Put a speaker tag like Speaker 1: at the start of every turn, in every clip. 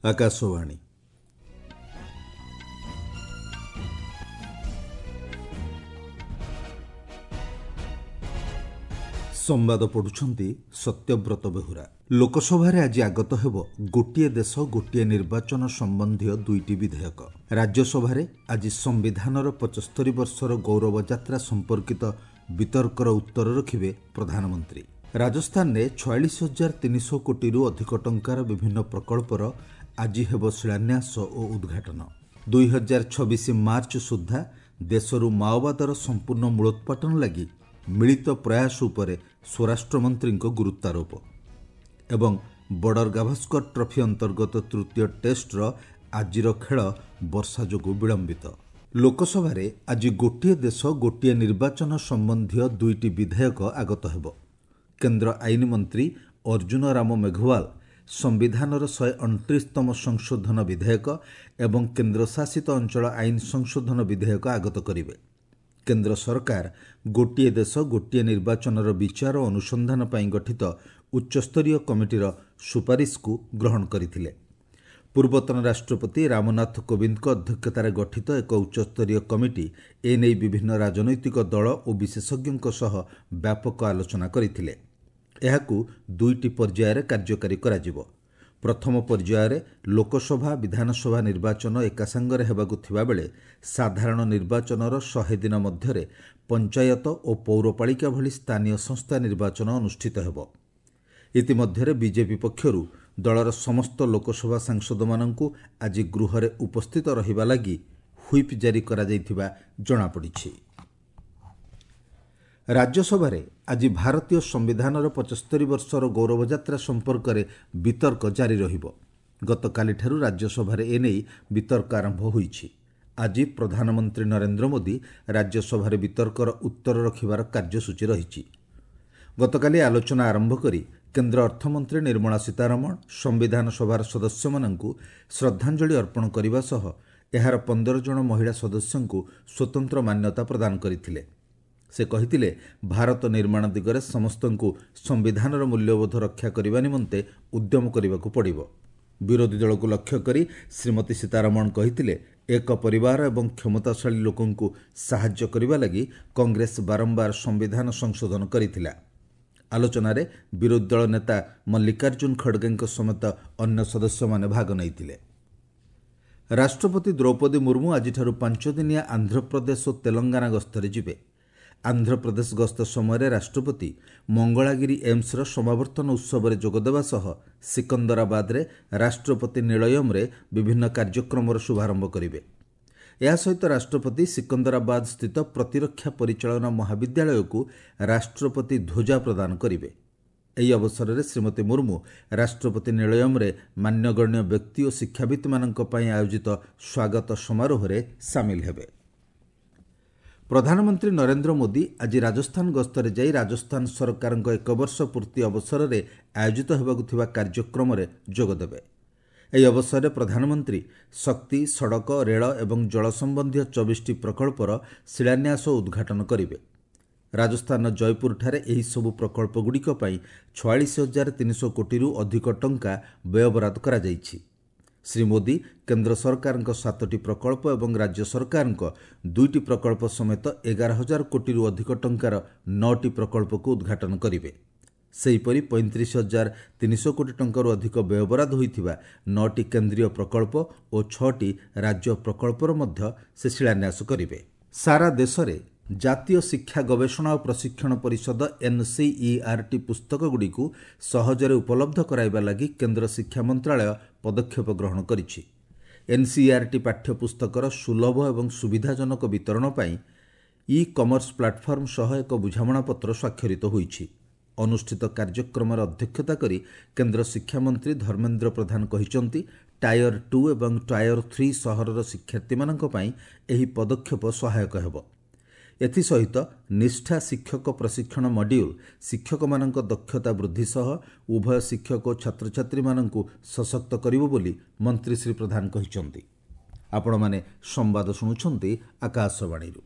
Speaker 1: ଆକାଶବାଣୀ। ସମ୍ବାଦ ପଢୁଛନ୍ତି ସତ୍ୟବ୍ରତ ବେହୁରା। ଲୋକସଭାରେ ଆଜି ଆଗତ ହେବ ଗୋଟିଏ ଦେଶ ଗୋଟିଏ ନିର୍ବାଚନ ସମ୍ବନ୍ଧୀୟ ଦୁଇଟି ବିଧେୟକ। ରାଜ୍ୟସଭାରେ ଆଜି ସମ୍ବିଧାନର 75 ବର୍ଷର ଗୌରବ ଯାତ୍ରା ସମ୍ପର୍କିତ ବିତର୍କର ଉତ୍ତର ରଖିବେ ପ୍ରଧାନମନ୍ତ୍ରୀ। ରାଜସ୍ଥାନରେ 46,300 କୋଟିରୁ ଅଧିକ ଟଙ୍କାର ବିଭିନ୍ନ ପ୍ରକଳ୍ପର ଆଜି ହେବ ଶିଳାନ୍ୟାସ ଓ ଉଦ୍ଘାଟନ। 2026 ମାର୍ଚ୍ଚ ସୁଦ୍ଧା ଦେଶରୁ ମାଓବାଦର ସମ୍ପୂର୍ଣ୍ଣ ମୂଳୋତ୍ପାଟନ ଲାଗି ମିଳିତ ପ୍ରୟାସ ଉପରେ ସ୍ୱରାଷ୍ଟ୍ରମନ୍ତ୍ରୀଙ୍କ ଗୁରୁତ୍ୱାରୋପ। ଏବଂ ବର୍ଡର ଗାଭାସ୍କର ଟ୍ରଫି ଅନ୍ତର୍ଗତ ତୃତୀୟ ଟେଷ୍ଟର ଆଜିର ଖେଳ ବର୍ଷା ଯୋଗୁଁ ବିଳମ୍ବିତ। ଲୋକସଭାରେ ଆଜି ଗୋଟିଏ ଦେଶ ଗୋଟିଏ ନିର୍ବାଚନ ସମ୍ବନ୍ଧୀୟ ଦୁଇଟି ବିଧେୟକ ଆଗତ ହେବ। କେନ୍ଦ୍ର ଆଇନ ମନ୍ତ୍ରୀ ଅର୍ଜୁନ ରାମ ମେଘୱାଲ ସମ୍ବିଧାନର 129ତମ ସଂଶୋଧନ ବିଧେୟକ ଏବଂ କେନ୍ଦ୍ରଶାସିତ ଅଞ୍ଚଳ ଆଇନ ସଂଶୋଧନ ବିଧେୟକ ଆଗତ କରିବେ। କେନ୍ଦ୍ର ସରକାର ଗୋଟିଏ ଦେଶ ଗୋଟିଏ ନିର୍ବାଚନର ବିଚାର ଓ ଅନୁସନ୍ଧାନ ପାଇଁ ଗଠିତ ଉଚ୍ଚସ୍ତରୀୟ କମିଟିର ସୁପାରିଶକୁ ଗ୍ରହଣ କରିଥିଲେ। ପୂର୍ବତନ ରାଷ୍ଟ୍ରପତି ରାମନାଥ କୋବିନ୍ଦଙ୍କ ଅଧ୍ୟକ୍ଷତାରେ ଗଠିତ ଏକ ଉଚ୍ଚସ୍ତରୀୟ କମିଟି ଏନେଇ ବିଭିନ୍ନ ରାଜନୈତିକ ଦଳ ଓ ବିଶେଷଜ୍ଞଙ୍କ ସହ ବ୍ୟାପକ ଆଲୋଚନା କରିଥିଲେ। ଏହାକୁ ଦୁଇଟି ପର୍ଯ୍ୟାୟରେ କାର୍ଯ୍ୟକାରୀ କରାଯିବ। ପ୍ରଥମ ପର୍ଯ୍ୟାୟରେ ଲୋକସଭା ବିଧାନସଭା ନିର୍ବାଚନ ଏକାସାଙ୍ଗରେ ହେବାକୁ ଥିବାବେଳେ ସାଧାରଣ ନିର୍ବାଚନର 100 ଦିନ ମଧ୍ୟରେ ପଞ୍ଚାୟତ ଓ ପୌରପାଳିକା ଭଳି ସ୍ଥାନୀୟ ସଂସ୍ଥା ନିର୍ବାଚନ ଅନୁଷ୍ଠିତ ହେବ। ଇତିମଧ୍ୟରେ ବିଜେପି ପକ୍ଷରୁ ଦଳର ସମସ୍ତ ଲୋକସଭା ସାଂସଦମାନଙ୍କୁ ଆଜି ଗୃହରେ ଉପସ୍ଥିତ ରହିବା ଲାଗି ହ୍ୱିପ୍ ଜାରି କରାଯାଇଥିବା ଜଣାପଡ଼ିଛି। ରାଜ୍ୟସଭାରେ ଆଜି ଭାରତୀୟ ସମ୍ବିଧାନର 75 ବର୍ଷର ଗୌରବଯାତ୍ରା ସମ୍ପର୍କରେ ବିତର୍କ ଜାରି ରହିବ। ଗତକାଲିଠାରୁ ରାଜ୍ୟସଭାରେ ଏନେଇ ବିତର୍କ ଆରମ୍ଭ ହୋଇଛି। ଆଜି ପ୍ରଧାନମନ୍ତ୍ରୀ ନରେନ୍ଦ୍ର ମୋଦି ରାଜ୍ୟସଭାରେ ବିତର୍କର ଉତ୍ତର ରଖିବାର କାର୍ଯ୍ୟସୂଚୀ ରହିଛି। ଗତକାଲି ଆଲୋଚନା ଆରମ୍ଭ କରି କେନ୍ଦ୍ର ଅର୍ଥମନ୍ତ୍ରୀ ନିର୍ମଳା ସୀତାରମଣ ସମ୍ବିଧାନ ସଭାର ସଦସ୍ୟମାନଙ୍କୁ ଶ୍ରଦ୍ଧାଞ୍ଜଳି ଅର୍ପଣ କରିବା ସହ ଏହାର 15 ଜଣ ମହିଳା ସଦସ୍ୟଙ୍କୁ ସ୍ୱତନ୍ତ୍ର ମାନ୍ୟତା ପ୍ରଦାନ କରିଥିଲେ। ସେ କହିଥିଲେ, ଭାରତ ନିର୍ମାଣ ଦିଗରେ ସମସ୍ତଙ୍କୁ ସମ୍ବିଧାନର ମୂଲ୍ୟବୋଧ ରକ୍ଷା କରିବା ନିମନ୍ତେ ଉଦ୍ୟମ କରିବାକୁ ପଡ଼ିବ। ବିରୋଧୀ ଦଳକୁ ଲକ୍ଷ୍ୟ କରି ଶ୍ରୀମତୀ ସୀତାରମଣ କହିଥିଲେ, ଏକ ପରିବାର ଏବଂ କ୍ଷମତାଶାଳୀ ଲୋକଙ୍କୁ ସାହାଯ୍ୟ କରିବା ଲାଗି କଂଗ୍ରେସ ବାରମ୍ବାର ସମ୍ବିଧାନ ସଂଶୋଧନ କରିଥିଲା। ଆଲୋଚନାରେ ବିରୋଧୀ ଦଳ ନେତା ମଲ୍ଲିକାର୍ଜୁନ ଖଡ଼ଗେଙ୍କ ସମେତ ଅନ୍ୟ ସଦସ୍ୟମାନେ ଭାଗ ନେଇଥିଲେ। ରାଷ୍ଟ୍ରପତି ଦ୍ରୌପଦୀ ମୁର୍ମୁ ଆଜିଠାରୁ 5 ଦିନିଆ ଆନ୍ଧ୍ରପ୍ରଦେଶ ଓ ତେଲଙ୍ଗାନା ଗସ୍ତରେ ଯିବେ। ଆନ୍ଧ୍ରପ୍ରଦେଶ ଗସ୍ତ ସମୟରେ ରାଷ୍ଟ୍ରପତି ମଙ୍ଗଳାଗିରି ଏମ୍ସର ସମାବର୍ତ୍ତନ ଉତ୍ସବରେ ଯୋଗଦେବା ସହ ସିକନ୍ଦରାବାଦରେ ରାଷ୍ଟ୍ରପତି ନିଳୟମରେ ବିଭିନ୍ନ କାର୍ଯ୍ୟକ୍ରମର ଶୁଭାରମ୍ଭ କରିବେ। ଏହା ସହିତ ରାଷ୍ଟ୍ରପତି ସିକନ୍ଦରାବାଦ ସ୍ଥିତ ପ୍ରତିରକ୍ଷା ପରିଚାଳନା ମହାବିଦ୍ୟାଳୟକୁ ରାଷ୍ଟ୍ରପତି ଧ୍ୱଜା ପ୍ରଦାନ କରିବେ। ଏହି ଅବସରରେ ଶ୍ରୀମତୀ ମୁର୍ମୁ ରାଷ୍ଟ୍ରପତି ନିଳୟମରେ ମାନ୍ୟଗଣ୍ୟ ବ୍ୟକ୍ତି ଓ ଶିକ୍ଷାବିତ୍ମାନଙ୍କ ପାଇଁ ଆୟୋଜିତ ସ୍ୱାଗତ ସମାରୋହରେ ସାମିଲ ହେବେ। ପ୍ରଧାନମନ୍ତ୍ରୀ ନରେନ୍ଦ୍ର ମୋଦି ଆଜି ରାଜସ୍ଥାନ ଗସ୍ତରେ ଯାଇ ରାଜସ୍ଥାନ ସରକାରଙ୍କ 1 ବର୍ଷ ପୂର୍ତ୍ତି ଅବସରରେ ଆୟୋଜିତ ହେବାକୁ ଥିବା କାର୍ଯ୍ୟକ୍ରମରେ ଯୋଗଦେବେ। ଏହି ଅବସରରେ ପ୍ରଧାନମନ୍ତ୍ରୀ ଶକ୍ତି, ସଡ଼କ, ରେଳ ଏବଂ ଜଳ ସମ୍ବନ୍ଧୀୟ 24ଟି ପ୍ରକଳ୍ପର ଶିଳାନ୍ୟାସ ଓ ଉଦ୍ଘାଟନ କରିବେ। ରାଜସ୍ଥାନର ଜୟପୁରଠାରେ ଏହିସବୁ ପ୍ରକଳ୍ପଗୁଡ଼ିକ ପାଇଁ 46,300 କୋଟିରୁ ଅଧିକ ଟଙ୍କା ବ୍ୟୟବରାଦ କରାଯାଇଛି। ଶ୍ରୀ ମୋଦି କେନ୍ଦ୍ର ସରକାରଙ୍କ 7ଟି ପ୍ରକଳ୍ପ ଏବଂ ରାଜ୍ୟ ସରକାରଙ୍କ 2ଟି ପ୍ରକଳ୍ପ ସମେତ 11,000 କୋଟିରୁ ଅଧିକ ଟଙ୍କାର 9ଟି ପ୍ରକଳ୍ପକୁ ଉଦ୍ଘାଟନ କରିବେ। ସେହିପରି 35,300 କୋଟି ଟଙ୍କାରୁ ଅଧିକ ବ୍ୟୟବରାଦ ହୋଇଥିବା 9ଟି କେନ୍ଦ୍ରୀୟ ପ୍ରକଳ୍ପ ଓ 6ଟି ରାଜ୍ୟ ପ୍ରକଳ୍ପର ମଧ୍ୟ ସେ ଶିଳାନ୍ୟାସ କରିବେ। ସାରା ଦେଶରେ ଜାତୀୟ ଶିକ୍ଷା ଗବେଷଣା ଓ ପ୍ରଶିକ୍ଷଣ ପରିଷଦ ଏନ୍ସିଇଆର୍ଟି ପୁସ୍ତକଗୁଡ଼ିକୁ ସହଜରେ ଉପଲବ୍ଧ କରାଇବା ଲାଗି କେନ୍ଦ୍ର ଶିକ୍ଷା ମନ୍ତ୍ରାଳୟ ପଦକ୍ଷେପ ଗ୍ରହଣ କରିଛି। ଏନ୍ସିଇଆର୍ଟି ପାଠ୍ୟପୁସ୍ତକର ସୁଲଭ ଏବଂ ସୁବିଧାଜନକ ବିତରଣ ପାଇଁ ଇ କମର୍ସ ପ୍ଲାଟଫର୍ମ ସହ ଏକ ବୁଝାମଣାପତ୍ର ସ୍ୱାକ୍ଷରିତ ହୋଇଛି। ଅନୁଷ୍ଠିତ କାର୍ଯ୍ୟକ୍ରମରେ ଅଧ୍ୟକ୍ଷତା କରି କେନ୍ଦ୍ର ଶିକ୍ଷାମନ୍ତ୍ରୀ ଧର୍ମେନ୍ଦ୍ର ପ୍ରଧାନ କହିଛନ୍ତି, ଟାୟର 2 ଏବଂ ଟାୟର 3 ସହରର ଶିକ୍ଷାର୍ଥୀମାନଙ୍କ ପାଇଁ ଏହି ପଦକ୍ଷେପ ସହାୟକ ହେବ। ଏଥିସହିତ ନିଷ୍ଠା ଶିକ୍ଷକ ପ୍ରଶିକ୍ଷଣ ମଡ୍ୟୁଲ୍ ଶିକ୍ଷକମାନଙ୍କ ଦକ୍ଷତା ବୃଦ୍ଧି ସହ ଉଭୟ ଶିକ୍ଷକ ଓ ଛାତ୍ରଛାତ୍ରୀମାନଙ୍କୁ ସଶକ୍ତ କରିବ ବୋଲି ମନ୍ତ୍ରୀ ଶ୍ରୀ ପ୍ରଧାନ କହିଛନ୍ତି। ଆପଣମାନେ ସମ୍ବାଦ ଶୁଣୁଛନ୍ତି ଆକାଶବାଣୀରୁ।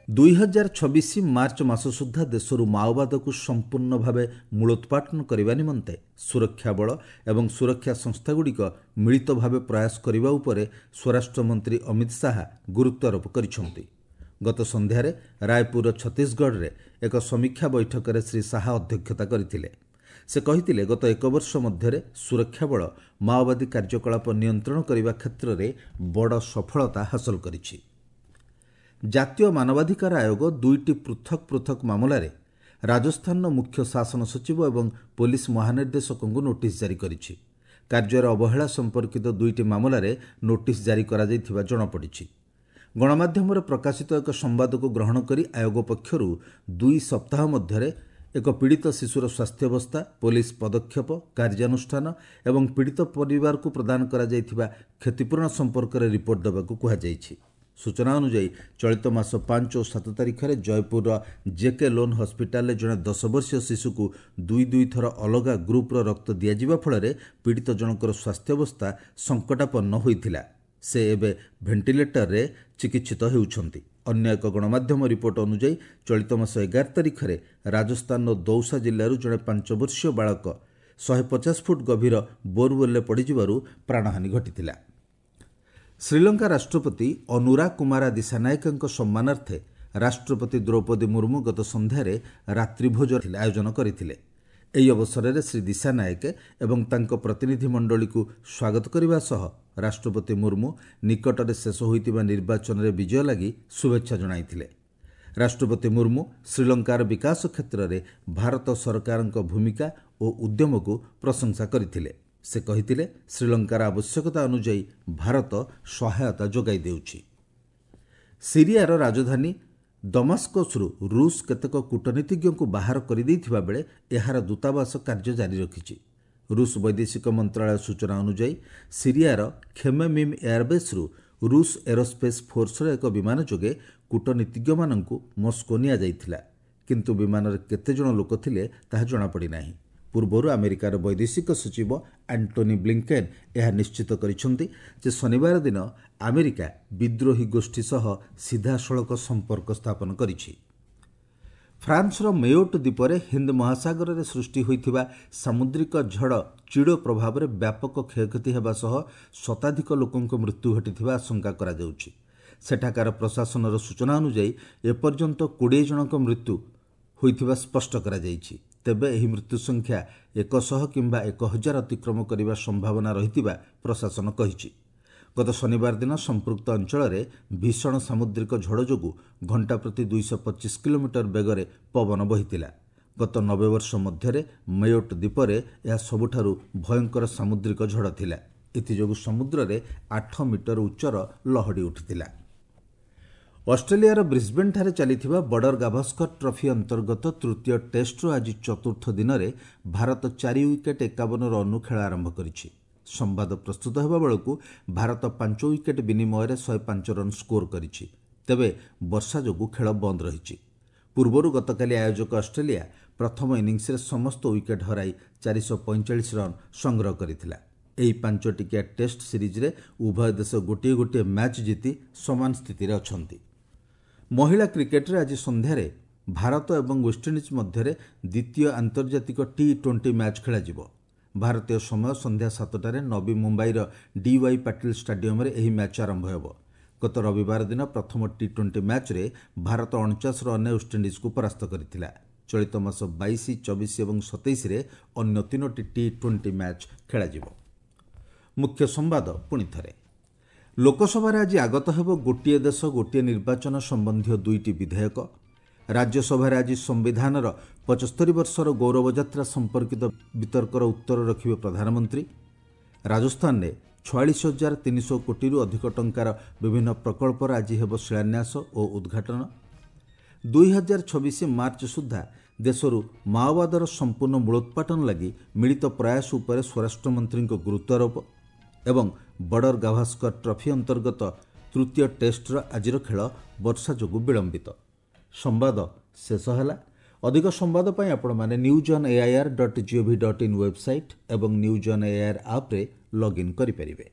Speaker 1: 2026 ମାର୍ଚ୍ଚ ମାସ ସୁଦ୍ଧା ଦେଶରୁ ମାଓବାଦକୁ ସମ୍ପୂର୍ଣ୍ଣ ଭାବେ ମୂଳୋତ୍ପାଟନ କରିବା ନିମନ୍ତେ ସୁରକ୍ଷା ବଳ ଏବଂ ସୁରକ୍ଷା ସଂସ୍ଥାଗୁଡ଼ିକ ମିଳିତ ଭାବେ ପ୍ରୟାସ କରିବା ଉପରେ ସ୍ୱରାଷ୍ଟ୍ରମନ୍ତ୍ରୀ ଅମିତ ଶାହା ଗୁରୁତ୍ୱାରୋପ କରିଛନ୍ତି। ଗତ ସନ୍ଧ୍ୟାରେ ରାୟପୁରର ଛତିଶଗଡ଼ରେ ଏକ ସମୀକ୍ଷା ବୈଠକରେ ଶ୍ରୀ ଶାହା ଅଧ୍ୟକ୍ଷତା କରିଥିଲେ। ସେ କହିଥିଲେ, ଗତ ଏକ ବର୍ଷ ମଧ୍ୟରେ ସୁରକ୍ଷା ବଳ ମାଓବାଦୀ କାର୍ଯ୍ୟକଳାପ ନିୟନ୍ତ୍ରଣ କରିବା କ୍ଷେତ୍ରରେ ବଡ଼ ସଫଳତା ହାସଲ କରିଛି। ଜାତୀୟ ମାନବାଧିକାର ଆୟୋଗ ଦୁଇଟି ପୃଥକ୍ ପୃଥକ୍ ମାମଲାରେ ରାଜସ୍ଥାନର ମୁଖ୍ୟ ଶାସନ ସଚିବ ଏବଂ ପୋଲିସ ମହାନିର୍ଦ୍ଦେଶକଙ୍କୁ ନୋଟିସ୍ ଜାରି କରିଛି। କାର୍ଯ୍ୟରେ ଅବହେଳା ସମ୍ପର୍କିତ ଦୁଇଟି ମାମଲାରେ ନୋଟିସ୍ ଜାରି କରାଯାଇଥିବା ଜଣାପଡ଼ିଛି। ଗଣମାଧ୍ୟମରେ ପ୍ରକାଶିତ ଏକ ସମ୍ବାଦକୁ ଗ୍ରହଣ କରି ଆୟୋଗ ପକ୍ଷରୁ 2 ସପ୍ତାହ ମଧ୍ୟରେ ଏକ ପୀଡ଼ିତ ଶିଶୁର ସ୍ୱାସ୍ଥ୍ୟାବସ୍ଥା, ପୋଲିସ ପଦକ୍ଷେପ, କାର୍ଯ୍ୟାନୁଷ୍ଠାନ ଏବଂ ପୀଡ଼ିତ ପରିବାରକୁ ପ୍ରଦାନ କରାଯାଇଥିବା କ୍ଷତିପୂରଣ ସମ୍ପର୍କରେ ରିପୋର୍ଟ ଦେବାକୁ କୁହାଯାଇଛି। ସୂଚନା ଅନୁଯାୟୀ, ଚଳିତ ମାସ 5 ଓ 7 ତାରିଖରେ ଜୟପୁରର ଜେକେ ଲୋନ୍ ହସ୍ପିଟାଲରେ ଜଣେ 10 ବର୍ଷୀୟ ଶିଶୁକୁ ଦୁଇ ଦୁଇ ଥର ଅଲଗା ଗ୍ରୁପ୍ର ରକ୍ତ ଦିଆଯିବା ଫଳରେ ପୀଡ଼ିତ ଜଣଙ୍କର ସ୍ୱାସ୍ଥ୍ୟାବସ୍ଥା ସଙ୍କଟାପନ୍ନ ହୋଇଥିଲା। ସେ ଏବେ ଭେଣ୍ଟିଲେଟରରେ ଚିକିତ୍ସିତ ହେଉଛନ୍ତି। ଅନ୍ୟ ଏକ ଗଣମାଧ୍ୟମ ରିପୋର୍ଟ ଅନୁଯାୟୀ, ଚଳିତ ମାସ 11 ତାରିଖରେ ରାଜସ୍ଥାନର ଦୌସା ଜିଲ୍ଲାରୁ ଜଣେ 5 ବର୍ଷୀୟ ବାଳକ 150 ଫୁଟ ଗଭୀର ବୋରୱେଲ୍ରେ ପଡ଼ିଯିବାରୁ ପ୍ରାଣହାନି ଘଟିଥିଲା। ଶ୍ରୀଲଙ୍କା ରାଷ୍ଟ୍ରପତି ଅନୁରା କୁମାରା ଦିଶାନାୟକଙ୍କ ସମ୍ମାନାର୍ଥେ ରାଷ୍ଟ୍ରପତି ଦ୍ରୌପଦୀ ମୁର୍ମୁ ଗତ ସନ୍ଧ୍ୟାରେ ରାତ୍ରିଭୋଜ ଆୟୋଜନ କରିଥିଲେ। ଏହି ଅବସରରେ ଶ୍ରୀ ଦିଶାନାୟକ ଏବଂ ତାଙ୍କ ପ୍ରତିନିଧିମଣ୍ଡଳୀକୁ ସ୍ୱାଗତ କରିବା ସହ ରାଷ୍ଟ୍ରପତି ମୁର୍ମୁ ନିକଟରେ ଶେଷ ହୋଇଥିବା ନିର୍ବାଚନରେ ବିଜୟ ଲାଗି ଶୁଭେଚ୍ଛା ଜଣାଇଥିଲେ। ରାଷ୍ଟ୍ରପତି ମୁର୍ମୁ ଶ୍ରୀଲଙ୍କାର ବିକାଶ କ୍ଷେତ୍ରରେ ଭାରତ ସରକାରଙ୍କ ଭୂମିକା ଓ ଉଦ୍ୟମକୁ ପ୍ରଶଂସା କରିଥିଲେ। ସେ କହିଥିଲେ, ଶ୍ରୀଲଙ୍କାର ଆବଶ୍ୟକତା ଅନୁଯାୟୀ ଭାରତ ସହାୟତା ଯୋଗାଇ ଦେଉଛି। ସିରିଆର ରାଜଧାନୀ ଦମାସ୍କସରୁ ରୁଷ କେତେକ କୂଟନୀତିଜ୍ଞଙ୍କୁ ବାହାର କରିଦେଇଥିବା ବେଳେ ଏହାର ଦୂତାବାସ କାର୍ଯ୍ୟ ଜାରି ରଖିଛି। ରୁଷ ବୈଦେଶିକ ମନ୍ତ୍ରଣାଳୟ ସୂଚନା ଅନୁଯାୟୀ, ସିରିଆର ଖେମେମିମ୍ ଏୟାରବେସ୍ରୁ ରୁଷ ଏରୋସ୍ପେସ୍ ଫୋର୍ସର ଏକ ବିମାନ ଯୋଗେ କୂଟନୀତିଜ୍ଞମାନଙ୍କୁ ମସ୍କୋ ନିଆଯାଇଥିଲା। କିନ୍ତୁ ବିମାନରେ କେତେଜଣ ଲୋକ ଥିଲେ ତାହା ଜଣାପଡ଼ିନାହିଁ। ପୂର୍ବରୁ ଆମେରିକାର ବୈଦେଶିକ ସଚିବ ଆଣ୍ଟୋନି ବ୍ଲିଙ୍କେନ୍ ଏହା ନିଶ୍ଚିତ କରିଛନ୍ତି ଯେ ଶନିବାର ଦିନ ଆମେରିକା ବିଦ୍ରୋହୀ ଗୋଷ୍ଠୀ ସହ ସିଧାସଳଖ ସମ୍ପର୍କ ସ୍ଥାପନ କରିଛି। ଫ୍ରାନ୍ସର ମେୟୋଟ୍ ଦ୍ୱୀପରେ ହିନ୍ଦ ମହାସାଗରରେ ସୃଷ୍ଟି ହୋଇଥିବା ସାମୁଦ୍ରିକ ଝଡ଼ ଚିଡ଼ୋ ପ୍ରଭାବରେ ବ୍ୟାପକ କ୍ଷୟକ୍ଷତି ହେବା ସହ ଶତାଧିକ ଲୋକଙ୍କ ମୃତ୍ୟୁ ଘଟିଥିବା ଆଶଙ୍କା କରାଯାଉଛି। ସେଠାକାର ପ୍ରଶାସନର ସୂଚନା ଅନୁଯାୟୀ, ଏପର୍ଯ୍ୟନ୍ତ 20 ଜଣଙ୍କ ମୃତ୍ୟୁ ହୋଇଥିବା ସ୍ପଷ୍ଟ କରାଯାଇଛି। ତେବେ ଏହି ମୃତ୍ୟୁ ସଂଖ୍ୟା 100 କିମ୍ବା 1000 ଅତିକ୍ରମ କରିବା ସମ୍ଭାବନା ରହିଥିବା ପ୍ରଶାସନ କହିଛି। ଗତ ଶନିବାର ଦିନ ସମ୍ପୃକ୍ତ ଅଞ୍ଚଳରେ ଭୀଷଣ ସାମୁଦ୍ରିକ ଝଡ଼ ଯୋଗୁଁ ଘଣ୍ଟା ପ୍ରତି 225 କିଲୋମିଟର ବେଗରେ ପବନ ବହିଥିଲା। ଗତ 90 ବର୍ଷ ମଧ୍ୟରେ ମେୟୋଟ୍ ଦ୍ୱୀପରେ ଏହା ସବୁଠାରୁ ଭୟଙ୍କର ସାମୁଦ୍ରିକ ଝଡ଼ ଥିଲା। ଏଥିଯୋଗୁଁ ସମୁଦ୍ରରେ 8 ମିଟର ଉଚ୍ଚର ଲହଡ଼ି ଉଠିଥିଲା। ଅଷ୍ଟ୍ରେଲିଆର ବ୍ରିସ୍ବେନ୍ଠାରେ ଚାଲିଥିବା ବର୍ଡର ଗାଭାସ୍କର ଟ୍ରଫି ଅନ୍ତର୍ଗତ ତୃତୀୟ ଟେଷ୍ଟର ଆଜି ଚତୁର୍ଥ ଦିନରେ ଭାରତ 4 ୱିକେଟ୍ 51 ରନ୍ରୁ ଖେଳ ଆରମ୍ଭ କରିଛି। ସମ୍ବାଦ ପ୍ରସ୍ତୁତ ହେବା ବେଳକୁ ଭାରତ 5 ୱିକେଟ୍ ବିନିମୟରେ 105 ରନ୍ ସ୍କୋର କରିଛି। ତେବେ ବର୍ଷା ଯୋଗୁଁ ଖେଳ ବନ୍ଦ ରହିଛି। ପୂର୍ବରୁ ଗତକାଲି ଆୟୋଜକ ଅଷ୍ଟ୍ରେଲିଆ ପ୍ରଥମ ଇନିଂସରେ ସମସ୍ତ ୱିକେଟ୍ ହରାଇ 445 ରନ୍ ସଂଗ୍ରହ କରିଥିଲା। ଏହି 5 ଟିକିଆ ଟେଷ୍ଟ ସିରିଜ୍ରେ ଉଭୟ ଦେଶ ଗୋଟିଏ ଗୋଟିଏ ମ୍ୟାଚ୍ ଜିତି ସମାନ ସ୍ଥିତିରେ ଅଛନ୍ତି। ମହିଳା କ୍ରିକେଟରେ ଆଜି ସନ୍ଧ୍ୟାରେ ଭାରତ ଏବଂ ୱେଷ୍ଟଇଣ୍ଡିଜ୍ ମଧ୍ୟରେ ଦ୍ୱିତୀୟ ଆନ୍ତର୍ଜାତିକ ଟି20 ମ୍ୟାଚ୍ ଖେଳାଯିବ। ଭାରତୀୟ ସମୟ ସନ୍ଧ୍ୟା 7ଟାରେ ନବୀ ମୁମ୍ବାଇର ଡିୱାଇ ପାଟିଲ ଷ୍ଟାଡିୟମରେ ଏହି ମ୍ୟାଚ୍ ଆରମ୍ଭ ହେବ। ଗତ ରବିବାର ଦିନ ପ୍ରଥମ ଟି20 ମ୍ୟାଚ୍ରେ ଭାରତ 49 ରନ୍ରେ ୱେଷ୍ଟଇଣ୍ଡିଜ୍କୁ ପରାସ୍ତ କରିଥିଲା। ଚଳିତ ମାସ 22, 24 ଏବଂ 27ରେ ଅନ୍ୟ 3ଟି ଟି20 ମ୍ୟାଚ୍ ଖେଳାଯିବ। ମୁଖ୍ୟ ସମ୍ବାଦ ପୁଣି ଥରେ। ଲୋକସଭାରେ ଆଜି ଆଗତ ହେବ ଗୋଟିଏ ଦେଶ ଗୋଟିଏ ନିର୍ବାଚନ ସମ୍ବନ୍ଧୀୟ ଦୁଇଟି ବିଧେୟକ। ରାଜ୍ୟସଭାରେ ଆଜି ସମ୍ବିଧାନର 75 ବର୍ଷର ଗୌରବଯାତ୍ରା ସମ୍ପର୍କିତ ବିତର୍କର ଉତ୍ତର ରଖିବେ ପ୍ରଧାନମନ୍ତ୍ରୀ। ରାଜସ୍ଥାନରେ 46,300 କୋଟିରୁ ଅଧିକ ଟଙ୍କାର ବିଭିନ୍ନ ପ୍ରକଳ୍ପର ଆଜି ହେବ ଶିଳାନ୍ୟାସ ଓ ଉଦ୍ଘାଟନ। 2026 ମାର୍ଚ୍ଚ ସୁଦ୍ଧା ଦେଶରୁ ମାଓବାଦର ସମ୍ପୂର୍ଣ୍ଣ ମୂଳୋତ୍ପାଟନ ଲାଗି ମିଳିତ ପ୍ରୟାସ ଉପରେ ସ୍ୱରାଷ୍ଟ୍ରମନ୍ତ୍ରୀଙ୍କ ଗୁରୁତ୍ୱାରୋପ। ଏବଂ ବର୍ଡର ଗାଭାସ୍କର ଟ୍ରଫି ଅନ୍ତର୍ଗତ ତୃତୀୟ ଟେଷ୍ଟର ଆଜିର ଖେଳ ବର୍ଷା ଯୋଗୁଁ ବିଳମ୍ବିତ। ସମ୍ବାଦ ଶେଷ ହେଲା। ଅଧିକ ସମ୍ବାଦ ପାଇଁ ଆପଣମାନେ news on AIR dot GOV dot in website ଏବଂ ନ୍ୟୁଜ୍ ଅନ୍ ଏଆଇଆର୍ ଆପ୍ରେ ଲଗ୍ଇନ୍ କରିପାରିବେ।